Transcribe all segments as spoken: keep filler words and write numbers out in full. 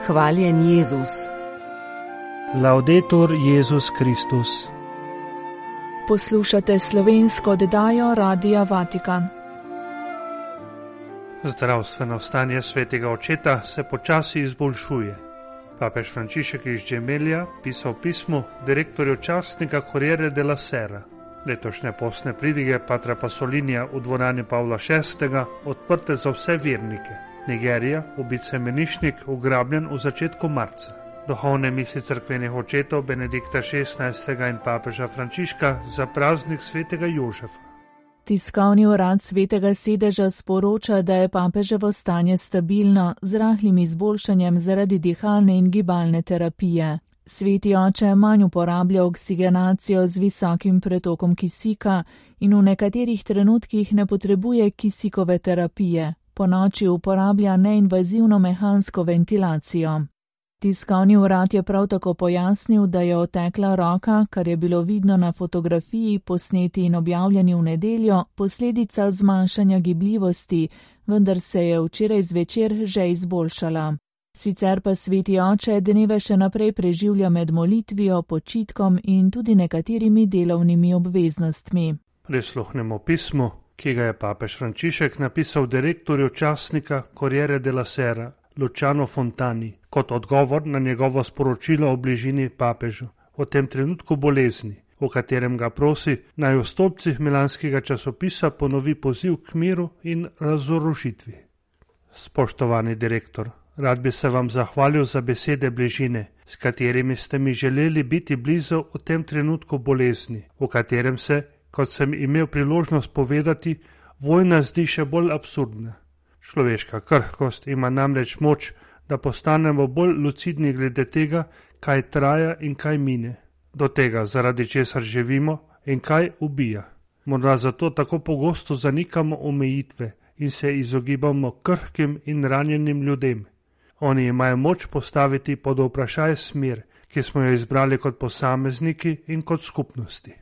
Hvaljen Jezus. Laudetur Jezus Kristus. Poslušate slovensko oddajo Radia Vatikan. Zdravstveno stanje svetega očeta se počasi izboljšuje. Papež Frančišek iz Gemelja pisal pismo direktorju časnika Corriere della Sera. Letošnje postne pridige patra Pasolinija v dvorani Pavla šestega odprte za vse vernike. Nigerija, ubit semenišnik, ugrabljen v začetku marca. Duhovne misli cerkvenih očetov Benedikta šestnajstega in papeža Frančiška za praznik svetega Jožefa. Tiskovni urad svetega sedeža sporoča, da je papeževo stanje stabilno z rahlim izboljšanjem zaradi dihalne in gibalne terapije. Sveti oče manj uporablja oksigenacijo z visokim pretokom kisika in v nekaterih trenutkih ne potrebuje kisikove terapije. Ponoči uporablja neinvazivno mehansko ventilacijo. Tiskovni urad je prav tako pojasnil, da je otekla roka, kar je bilo vidno na fotografiji, posneti in objavljeni v nedeljo, posledica zmanjšanja gibljivosti, vendar se je včeraj zvečer že izboljšala. Sicer pa sveti oče dneve še naprej preživlja med molitvijo, počitkom in tudi nekaterimi delovnimi obveznostmi. Prisluhnemo pismu, ki ga je papež Frančišek napisal direktorju časnika Corriere della Sera, Luciano Fontani, kot odgovor na njegovo sporočilo o bližini papežu, v tem trenutku bolezni, v katerem ga prosi, naj v stolpcih milanskega časopisa ponovi poziv k miru in razorožitvi. Spoštovani direktor, rad bi se vam zahvalil za besede bližine, s katerimi ste mi želeli biti blizu v tem trenutku bolezni, v katerem se, kot sem imel priložnost povedati, vojna zdi še bolj absurdna. Človeška krhkost ima namreč moč, da postanemo bolj lucidni glede tega, kaj traja in kaj mine, do tega, zaradi česar živimo in kaj ubija. Morda zato tako pogosto zanikamo omejitve in se izogibamo krhkim in ranjenim ljudem. Oni imajo moč postaviti pod vprašaj smer, ki smo jo izbrali kot posamezniki in kot skupnosti.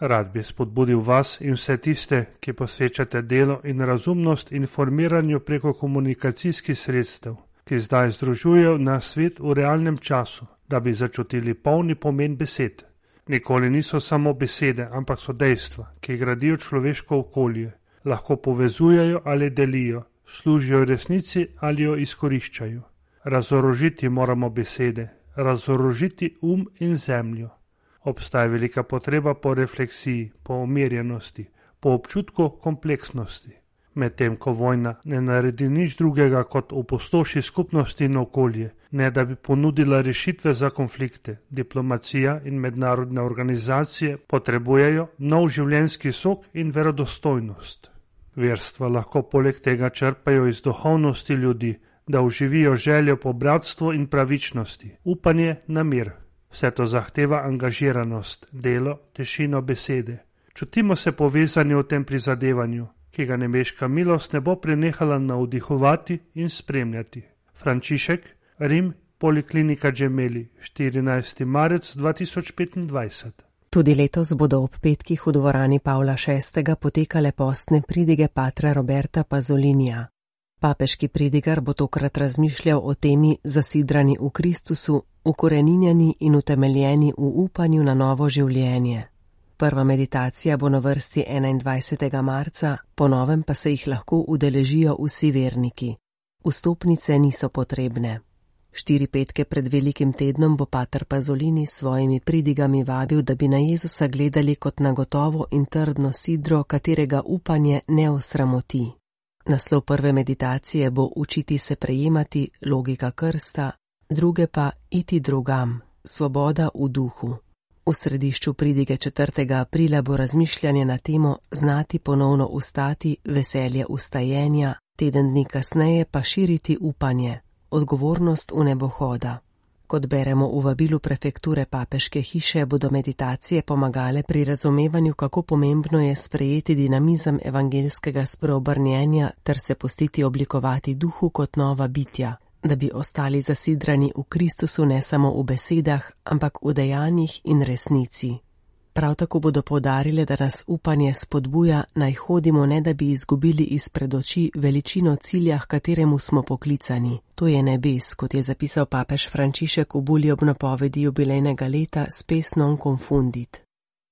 Rad bi spodbudil vas in vse tiste, ki posvečate delo in razumnost informiranju preko komunikacijskih sredstev, ki zdaj združujejo na svet v realnem času, da bi začutili polni pomen besed. Nikoli niso samo besede, ampak so dejstva, ki gradijo človeško okolje, lahko povezujejo ali delijo, služijo resnici ali jo izkoriščajo. Razorožiti moramo besede, razorožiti um in zemljo. Obstaja velika potreba po refleksiji, po umirjenosti, po občutku kompleksnosti. Medtem ko vojna ne naredi nič drugega kot opustoši skupnosti in okolje, ne da bi ponudila rešitve za konflikte, diplomacija in mednarodne organizacije potrebujejo nov življenjski sok in verodostojnost. Verstva lahko poleg tega črpajo iz duhovnosti ljudi, da oživijo željo po bratstvu in pravičnosti, upanje na mir. Vse to zahteva angažiranost, delo, tišino besede. Čutimo se povezani v tem prizadevanju, ki ga nebeška milost ne bo prenehala navdihovati in spremljati. Frančišek, Rim, Poliklinika Gemelli, štirinajsti marec dva tisoč petindvajset. Tudi letos bodo ob petkih v dvorani Pavla šestega potekale postne pridige patra Roberta Pasolinija. Papeški pridigar bo tokrat razmišljal o temi zasidrani v Kristusu, ukoreninjeni in utemeljeni v upanju na novo življenje. Prva meditacija bo na vrsti enaindvajsetega marca, po novem pa se jih lahko udeležijo vsi verniki. Vstopnice niso potrebne. Štiri petke pred velikim tednom bo pater Pasolini s svojimi pridigami vabil, da bi na Jezusa gledali kot na gotovo in trdno sidro, katerega upanje ne osramoti. Naslov prve meditacije bo učiti se prejemati, logika krsta, druge pa iti drugam, svoboda v duhu. V središču pridige četrtega aprila bo razmišljanje na temo znati ponovno ustati, veselje ustajenja, teden dni kasneje pa širiti upanje, odgovornost v nebohoda. Kot beremo v vabilu prefekture papeške hiše, bodo meditacije pomagale pri razumevanju, kako pomembno je sprejeti dinamizem evangeljskega spreobrnjenja ter se pustiti oblikovati duhu kot nova bitja, da bi ostali zasidrani v Kristusu ne samo v besedah, ampak v dejanjih in resnici. Prav tako bodo poudarile, da nas upanje spodbuja, naj hodimo, ne da bi izgubili izpred oči veličino cilja, k kateremu smo poklicani. To je nebes, kot je zapisal papež Frančišek v bulji ob napovedi jubilejnega leta Spes non confundit.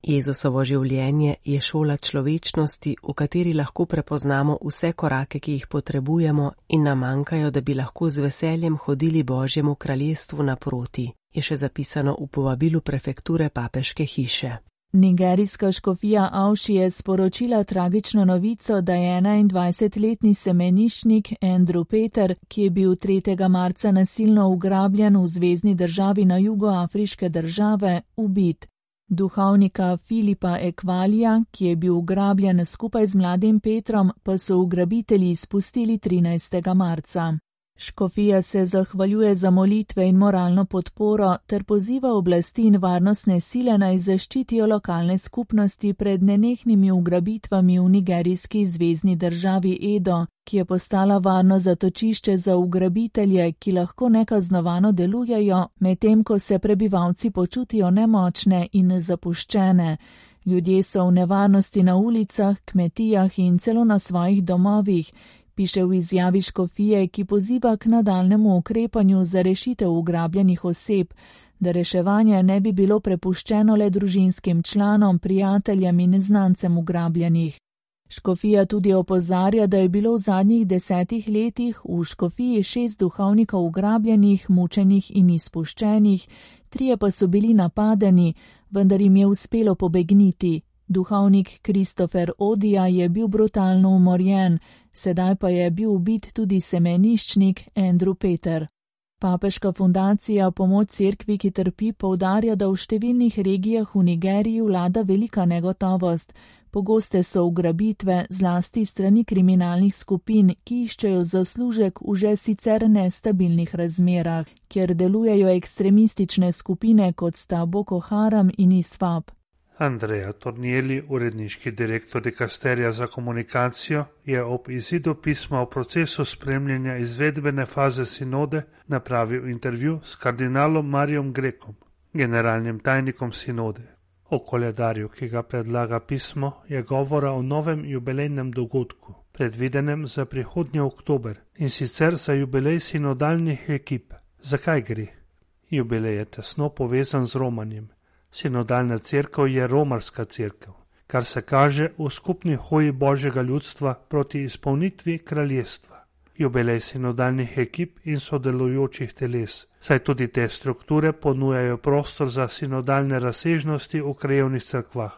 Jezusovo življenje je šola človečnosti, v kateri lahko prepoznamo vse korake, ki jih potrebujemo in nam manjkajo, da bi lahko z veseljem hodili Božjemu kraljestvu naproti, je še zapisano v povabilu prefekture papeške hiše. Nigerijska škofija Avši je sporočila tragično novico, da je enaindvajsetletni semeniščnik Andrew Peter, ki je bil tretjega marca nasilno ugrabljen v zvezni državi na jugu afriške države, ubit. Duhovnika Filipa Ekvalija, ki je bil ugrabljen skupaj z mladim Petrom, pa so ugrabitelji izpustili trinajstega marca. Škofija se zahvaljuje za molitve in moralno podporo ter poziva oblasti in varnostne sile naj zaščitijo lokalne skupnosti pred nenehnimi ugrabitvami v nigerijski zvezni državi Edo, ki je postala varno zatočišče za ugrabitelje, ki lahko nekaznovano delujejo, medtem ko se prebivalci počutijo nemočne in zapuščene. Ljudje so v nevarnosti na ulicah, kmetijah in celo na svojih domovih, piše v izjavi škofije, ki poziva k nadaljnemu ukrepanju za rešitev ugrabljenih oseb, da reševanje ne bi bilo prepuščeno le družinskim članom, prijateljem in znancem ugrabljenih. Škofija tudi opozarja, da je bilo v zadnjih desetih letih v škofiji šest duhovnikov ugrabljenih, mučenih in izpuščenih, trije pa so bili napadeni, vendar jim je uspelo pobegniti. Duhovnik Christopher Odija je bil brutalno umorjen, sedaj pa je bil ubit tudi semeniščnik Andrew Peter. Papeška fundacija Pomoč cerkvi, ki trpi, poudarja, da v številnih regijah v Nigeriji vlada velika negotovost. Pogoste so ugrabitve, zlasti strani kriminalnih skupin, ki iščejo zaslužek v že sicer nestabilnih razmerah, kjer delujejo ekstremistične skupine, kot sta Boko Haram in Iswap. Andrea Tornielli, uredniški direktor dikasterija za komunikacijo, je ob izidu pisma o procesu spremljanja izvedbene faze sinode napravil intervju s kardinalom Marijom Grekom, generalnim tajnikom sinode. O koledarju, ki ga predlaga pismo, je govora o novem jubilejnem dogodku, predvidenem za prihodnji oktober, in sicer za jubilej sinodalnih ekip. Zakaj gre? Jubilej je tesno povezan z romanjem. Sinodalna cerkev je romarska cerkev, kar se kaže v skupni hoji Božjega ljudstva proti izpolnitvi kraljestva. Jubilej sinodalnih ekip in sodelujočih teles, saj tudi te strukture ponujajo prostor za sinodalne razsežnosti v krajevnih cerkvah.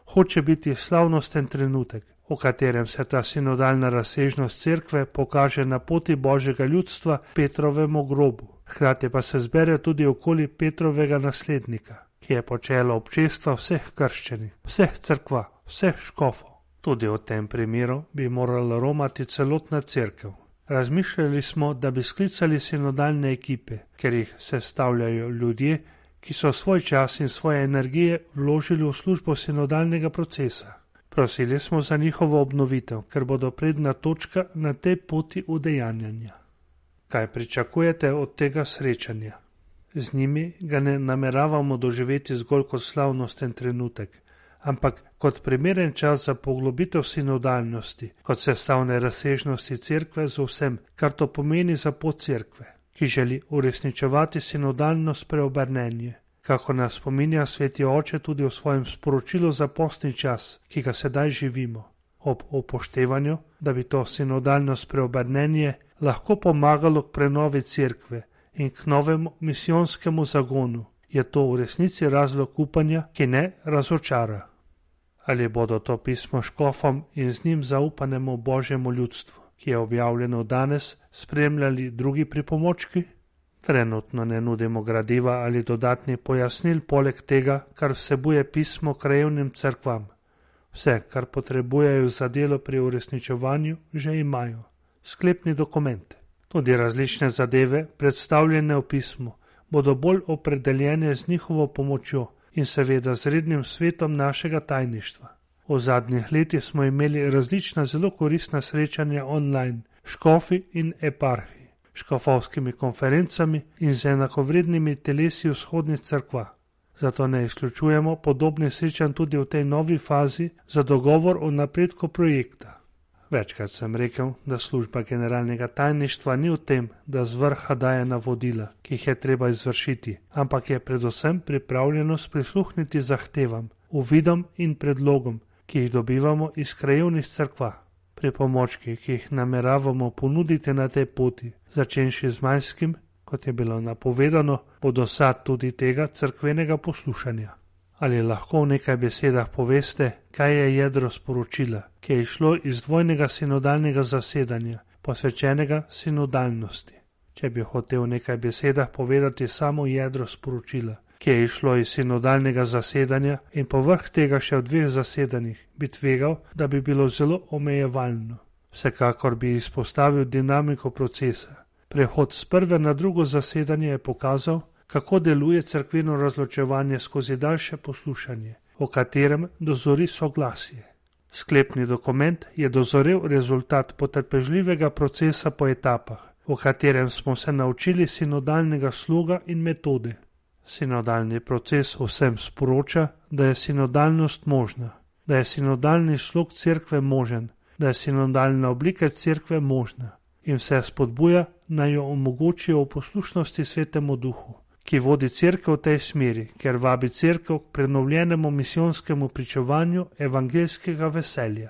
Hoče biti slavnosten trenutek, v katerem se ta sinodalna razsežnost cerkve pokaže na poti Božjega ljudstva Petrovemu grobu. Hkrati pa se zbere tudi okoli Petrovega naslednika, ki je počelo občestva vseh krščenih, vseh cerkva, vseh škofov. Tudi v tem primeru bi morala romati celotna cerkev. Razmišljali smo, da bi sklicali sinodalne ekipe, ker jih sestavljajo ljudje, ki so svoj čas in svoje energije vložili v službo sinodalnega procesa. Prosili smo za njihovo obnovitev, ker bodo predna točka na tej poti udejanjanja. Kaj pričakujete od tega srečanja? Z njimi ga ne nameravamo doživeti zgolj kot slavnosten trenutek, ampak kot primeren čas za poglobitev sinodalnosti, kot sestavne razsežnosti cerkve z vsem, kar to pomeni za pot cerkve, ki želi uresničevati sinodalno spreobrnenje, kako nas spominja Sveti Oče tudi v svojem sporočilu za postni čas, ki ga sedaj živimo, ob upoštevanju, da bi to sinodalno spreobrnenje lahko pomagalo k prenovi cerkve in k novemu misijonskemu zagonu, je to v resnici razlog upanja, ki ne razočara. Ali bodo to pismo škofom in z njim zaupanemu Božjemu ljudstvu, ki je objavljeno danes, spremljali drugi pripomočki? Trenutno ne nudimo gradiva ali dodatnih pojasnil poleg tega, kar vsebuje pismo krajevnim cerkvam. Vse, kar potrebujejo za delo pri uresničevanju, že imajo. Sklepni dokument. Tudi različne zadeve, predstavljene v pismu, bodo bolj opredeljene z njihovo pomočjo in seveda z rednim svetom našega tajništva. V zadnjih letih smo imeli različna zelo koristna srečanja online, škofi in eparhi, škofovskimi konferencami in z enakovrednimi telesi vzhodnih cerkva. Zato ne izključujemo podobnih srečanj tudi v tej novi fazi za dogovor o napredku projekta. Večkrat sem rekel, da služba generalnega tajništva ni v tem, da z vrha daje navodila, ki jih je treba izvršiti, ampak je predvsem pripravljenost prisluhniti zahtevam, uvidom in predlogom, ki jih dobivamo iz krajevnih cerkva. Pripomočki, ki jih nameravamo ponuditi na tej poti, začenši z majskim, kot je bilo napovedano, bodo sad tudi tega cerkvenega poslušanja. Ali lahko v nekaj besedah poveste, kaj je jedro sporočila, ki je išlo iz dvojnega sinodalnega zasedanja, posvečenega sinodalnosti? Če bi hotel v nekaj besedah povedati samo jedro sporočila, ki je išlo iz sinodalnega zasedanja in povrh tega še v dveh zasedanjih, bi tvegal, da bi bilo zelo omejevalno. Vsekakor bi izpostavil dinamiko procesa. Prehod z prve na drugo zasedanje je pokazal, kako deluje cerkveno razločevanje skozi daljše poslušanje, v katerem dozori soglasje. Sklepni dokument je dozorel rezultat potrpežljivega procesa po etapah, v katerem smo se naučili sinodalnega sloga in metode. Sinodalni proces vsem sporoča, da je sinodalnost možna, da je sinodalni slog cerkve možen, da je sinodalna oblika cerkve možna in vse spodbuja, naj jo omogočijo v poslušnosti Svetemu Duhu, ki vodi cerkev v tej smeri, ker vabi cerkev k prenovljenemu misijonskemu pričevanju evangeljskega veselja.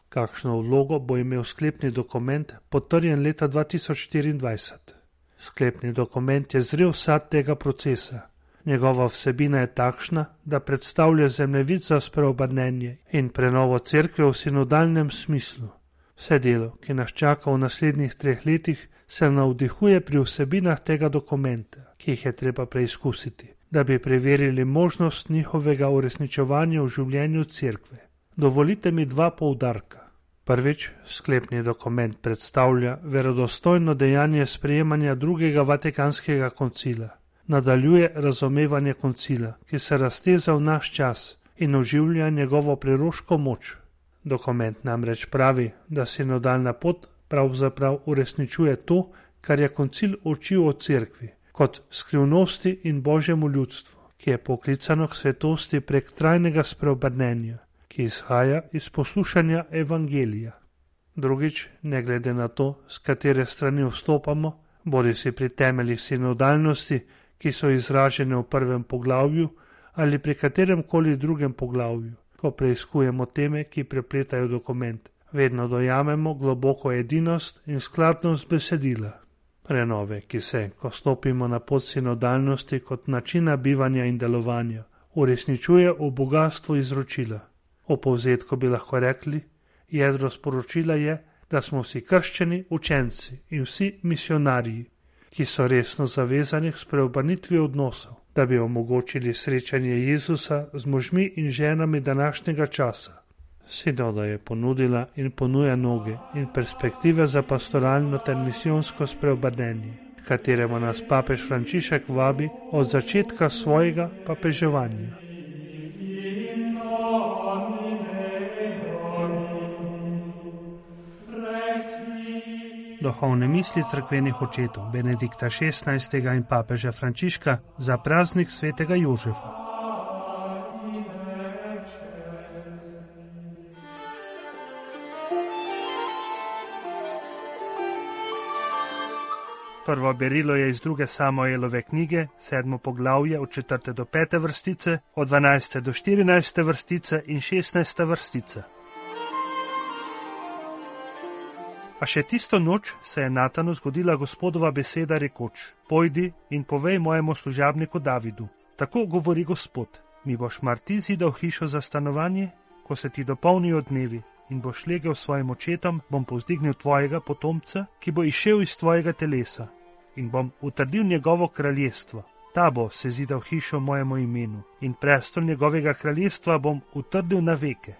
Kakšno vlogo bo imel sklepni dokument, potrjen leta dva tisoč štiriindvajset? Sklepni dokument je zrel sad tega procesa. Njegova vsebina je takšna, da predstavlja zemljevid za spreobrnenje in prenovo cerkve v sinodalnem smislu. Vse delo, ki nas čaka v naslednjih treh letih, se navdihuje pri vsebinah tega dokumenta, ki jih je treba preizkusiti, da bi preverili možnost njihovega uresničevanja v življenju cerkve. Dovolite mi dva poudarka. Prvič, sklepni dokument predstavlja verodostojno dejanje sprejemanja drugega Vatikanskega koncila. Nadaljuje razumevanje koncila, ki se razteza v naš čas in oživlja njegovo preroško moč. Dokument namreč pravi, da sinodalna pot pravzaprav uresničuje to, kar je koncil učil o cerkvi, kot skrivnosti in božjemu ljudstvu, ki je poklicano k svetosti prek trajnega spreobrnenja, ki izhaja iz poslušanja evangelija. Drugič, ne glede na to, s katere strani vstopamo, bodisi pri temeljih sinodalnosti, ki so izražene v prvem poglavju, ali pri katerem koli drugem poglavju, ko preiskujemo teme, ki prepletajo dokument, vedno dojamemo globoko edinost in skladnost besedila. Prenove, ki se, ko stopimo na pot sinodalnosti kot načina bivanja in delovanja, uresničuje v bogatstvu izročila. O povzetku bi lahko rekli, jedro sporočila je, da smo vsi krščeni učenci in vsi misionarji, ki so resno zavezani k spreobrnitvi odnosov, da bi omogočili srečanje Jezusa z možmi in ženami današnjega časa. Sinoda je ponudila in ponuja noge in perspektive za pastoralno ter misijonsko spreobrnenje, kateremu nas papež Frančišek vabi od začetka svojega papeževanja. Duhovne misli cerkvenih očetov Benedikta šestnajstega in papeža Frančiška za praznik svetega Jožefa. Prvo berilo je iz druge Samuelove knjige, sedmo poglavje od četrte do pete vrstice, od dvanajste do štirinajste vrstice in šestnajste vrstice. A še tisto noč se je Natanu zgodila Gospodova beseda rekoč: Pojdi in povej mojemu služabniku Davidu, tako govori Gospod, mi boš mar ti zidal hišo za stanovanje, ko se ti dopolnijo dnevi in boš legel s svojim očetom, bom povzdignil tvojega potomca, ki bo izšel iz tvojega telesa in bom utrdil njegovo kraljestvo. Ta bo se zidal hišo mojemu imenu in prestol njegovega kraljestva bom utrdil na veke.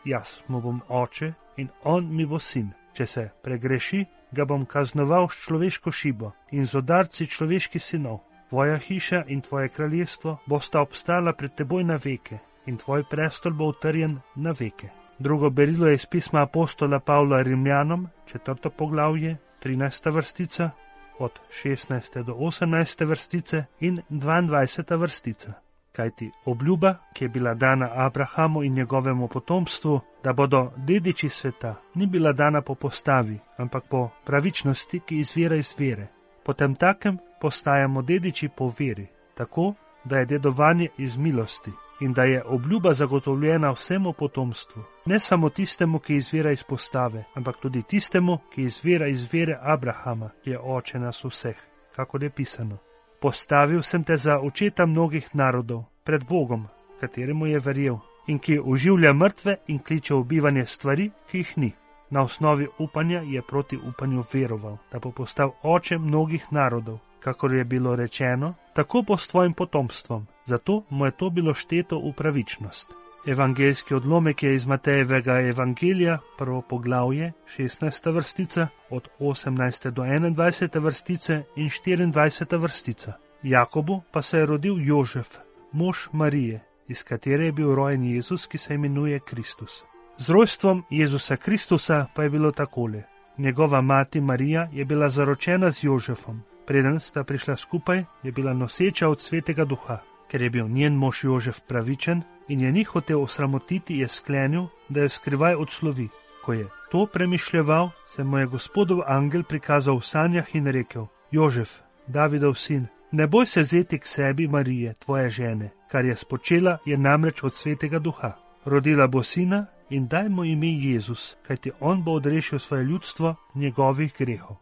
Jaz mu bom oče in on mi bo sin. Če se pregreši, ga bom kaznoval s človeško šibo in z udarci človeških sinov. Tvoja hiša in tvoje kraljestvo bosta obstala pred teboj na veke in tvoj prestol bo utrjen na veke. Drugo berilo je iz pisma apostola Pavla Rimljanom, četrto poglavje, trinajsta vrstica, od šestnajste do osemnajste vrstice in dvaindvajseta vrstica. kajti obljuba, ki je bila dana Abrahamu in njegovemu potomstvu, da bodo dediči sveta, ni bila dana po postavi, ampak po pravičnosti, ki izvira iz vere. Potem takem postajamo dediči po veri, tako, da je dedovanje iz milosti in da je obljuba zagotovljena vsemu potomstvu, ne samo tistemu, ki izvira iz postave, ampak tudi tistemu, ki izvira iz vere Abrahama, ki je oče nas vseh, kakor je pisano. Postavil sem te za očeta mnogih narodov, pred Bogom, kateremu je verjel, in ki oživlja mrtve in kliče v bivanje stvari, ki jih ni. Na osnovi upanja je proti upanju veroval, da bo postal oče mnogih narodov, kakor je bilo rečeno, tako bo s tvojim potomstvom, zato mu je to bilo šteto v pravičnost. Evangeljski odlomek je iz Matejevega evangelija, prvo poglavje, šestnajsta vrstica, od osemnajste do enaindvajsete vrstice in štiriindvajseta vrstica. Jakobu pa se je rodil Jožef, mož Marije, iz katere je bil rojen Jezus, ki se imenuje Kristus. Z rojstvom Jezusa Kristusa pa je bilo takole. Njegova mati Marija je bila zaročena z Jožefom. Preden sta prišla skupaj, je bila noseča od Svetega Duha. Ker je bil njen mož Jožef pravičen in je ni hotel osramotiti, je sklenil, da jo skrivaj odslovi. Ko je to premišljeval, se mu je Gospodov angel prikazal v sanjah in rekel: Jožef, Davidov sin, ne boj se vzeti k sebi Marije, tvoje žene, kar je spočela, je namreč od Svetega Duha. Rodila bo sina in daj mu ime Jezus, kajti on bo odrešil svoje ljudstvo njegovih grehov.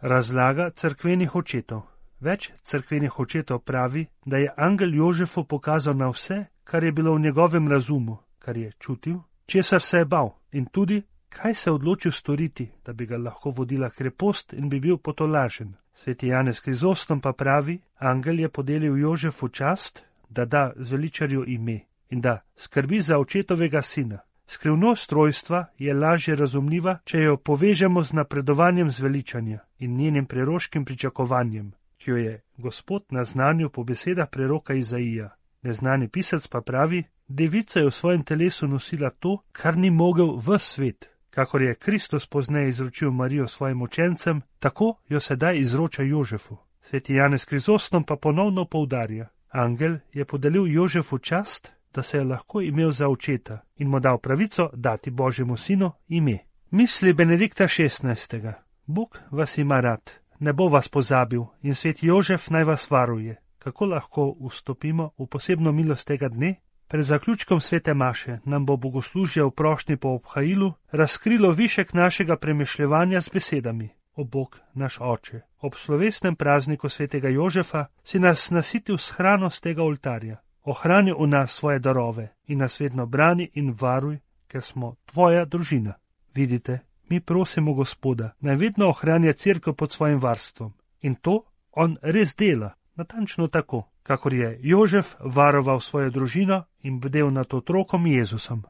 Razlaga cerkvenih očetov. Več cerkvenih očetov pravi, da je angel Jožefu pokazal na vse, kar je bilo v njegovem razumu, kar je čutil, česar se je bal in tudi, kaj se je odločil storiti, da bi ga lahko vodila krepost in bi bil potolažen. Sveti Janez Krizostom pa pravi, angel je podelil Jožefu čast, da da zveličarju ime in da skrbi za očetovega sina. Skrivnost rojstva je lažje razumljiva, če jo povežemo z napredovanjem zveličanja in njenim preroškim pričakovanjem, ki jo je Gospod naznanil po besedah preroka Izaija. Neznani pisec pa pravi, devica je v svojem telesu nosila to, kar ni mogel ves svet. Kakor je Kristus pozneje izročil Marijo svojim učencem, tako jo sedaj izroča Jožefu. Sveti Janez Krizostom pa ponovno poudarja, angel je podelil Jožefu čast, da se je lahko imel za očeta in mu dal pravico dati Božjemu sinu ime. Misli Benedikta šestnajstega. Bog vas ima rad, ne bo vas pozabil in sveti Jožef naj vas varuje. Kako lahko vstopimo v posebno milost tega dne? Pred zaključkom svete maše nam bo bogoslužje v prošnji po obhajilu razkrilo višek našega premišljevanja z besedami: O Bog, naš oče, ob slovesnem prazniku svetega Jožefa si nas nasitil s hrano z tega oltarja. Ohrani v nas svoje darove in nas vedno brani in varuj, ker smo tvoja družina. Vidite, mi prosimo Gospoda, naj vedno ohranja cerkev pod svojim varstvom. In to on res dela, natančno tako, kakor je Jožef varoval svojo družino in bdel nad otrokom Jezusom.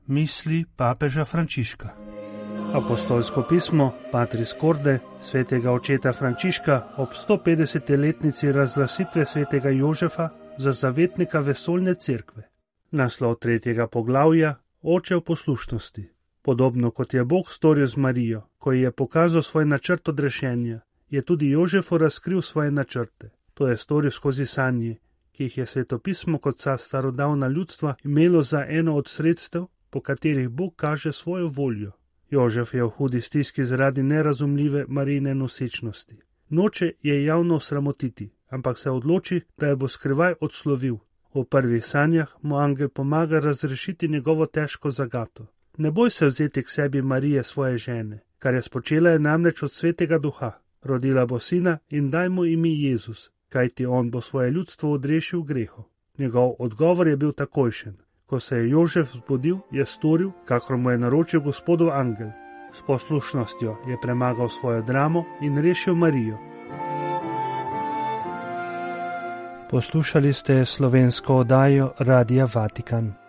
Misli papeža Frančiška. Apostolsko pismo Patris Corde svetega očeta Frančiška ob sto petdeseti letnici razglasitve svetega Jožefa za zavetnika vesoljne cerkve. Naslov tretjega poglavja: Oče v poslušnosti. Podobno kot je Bog storil z Marijo, ko ji je pokazal svoj načrt odrešenja, je tudi Jožefu razkril svoje načrte. To je storil skozi sanje, ki jih je svetopismo kot vsa starodavna ljudstva imelo za eno od sredstev, po katerih Bog kaže svojo voljo. Jožef je v hudi stiski zaradi nerazumljive Marijine nosečnosti. Noče je javno sramotiti, ampak se odloči, da je bo skrivaj odslovil. V prvih sanjah mu angel pomaga razrešiti njegovo težko zagato. Ne boj se vzeti k sebi Marije svoje žene, kar je spočela je namreč od Svetega Duha. Rodila bo sina in daj mu ime Jezus, kajti on bo svoje ljudstvo odrešil grehov. Njegov odgovor je bil takojšen. Ko se je Jožef zbudil, je storil, kakor mu je naročil Gospodov angel. S poslušnostjo je premagal svojo dramo in rešil Marijo. Poslušali ste slovensko oddajo Radia Vatikan.